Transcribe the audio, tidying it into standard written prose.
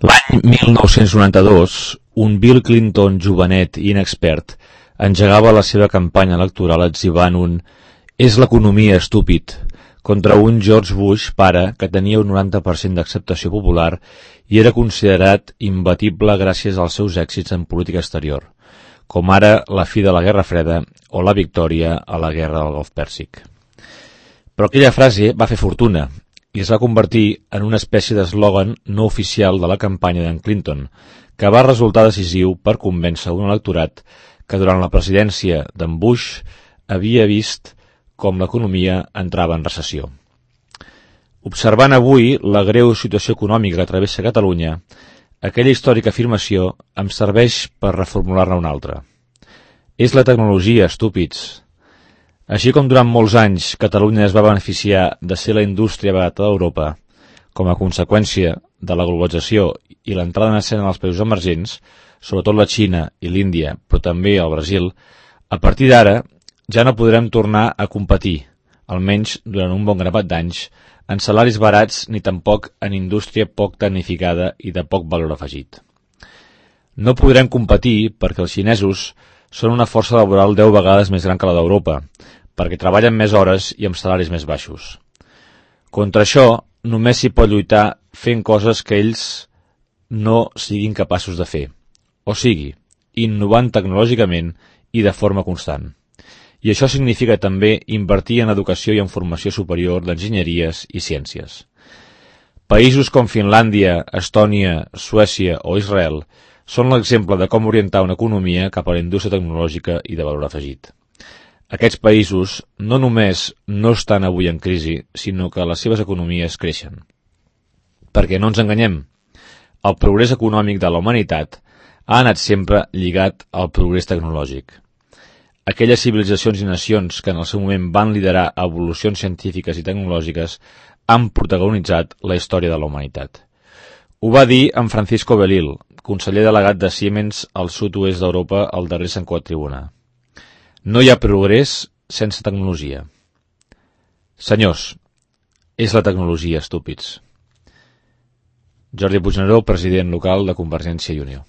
L'any 1992, un Bill Clinton jovenet i inexpert engegava la seva campanya electoral etzibant un «és l'economia, estúpid» contra un George Bush pare que tenia un 90% d'acceptació popular i era considerat imbatible gràcies als seus èxits en política exterior, com ara la fi de la Guerra Freda o la victòria a la Guerra del Golf Pèrsic. Però aquella frase va fer fortuna i es va convertir en una espècie d'eslògan no oficial de la campanya d'en Clinton, que va resultar decisiu per convèncer un electorat que durant la presidència d'en Bush havia vist com l'economia entrava en recessió. Observant avui la greu situació econòmica que travessa Catalunya, aquella històrica afirmació em serveix per reformular-ne una altra. És la tecnologia, estúpids. Així com durant molts anys Catalunya es va beneficiar de ser la indústria barata d'Europa, com a conseqüència de la globalització i l'entrada en escena dels països emergents, sobretot la Xina i l'Índia, però també el Brasil, a partir d'ara ja no podrem tornar a competir, almenys durant un bon grapat d'anys, en salaris barats ni tampoc en indústria poc tecnificada i de poc valor afegit. No podrem competir perquè els xinesos són una força laboral 10 vegades més gran que la d'Europa, perquè treballen més hores i amb salaris més baixos. Contra això, només s'hi pot lluitar fent coses que ells no siguin capaços de fer, o sigui, innovant tecnològicament i de forma constant. I això significa també invertir en educació i en formació superior d'enginyeries i ciències. Països com Finlàndia, Estònia, Suècia o Israel són l'exemple de com orientar una economia cap a la indústria tecnològica i de valor afegit. Aquests països no només no estan avui en crisi, sinó que les seves economies creixen. Perquè no ens enganyem, el progrés econòmic de la humanitat ha anat sempre lligat al progrés tecnològic. Aquelles civilitzacions i nacions que en el seu moment van liderar evolucions científiques i tecnològiques han protagonitzat la història de la humanitat. Ho va dir en Francisco Belil, conseller delegat de Siemens al sud-oest d'Europa al darrer Sant Quatribunà. No hi ha progrés sense tecnologia. Senyors, és la tecnologia, estúpids. Jordi Puigneró, president local de Convergència i Unió.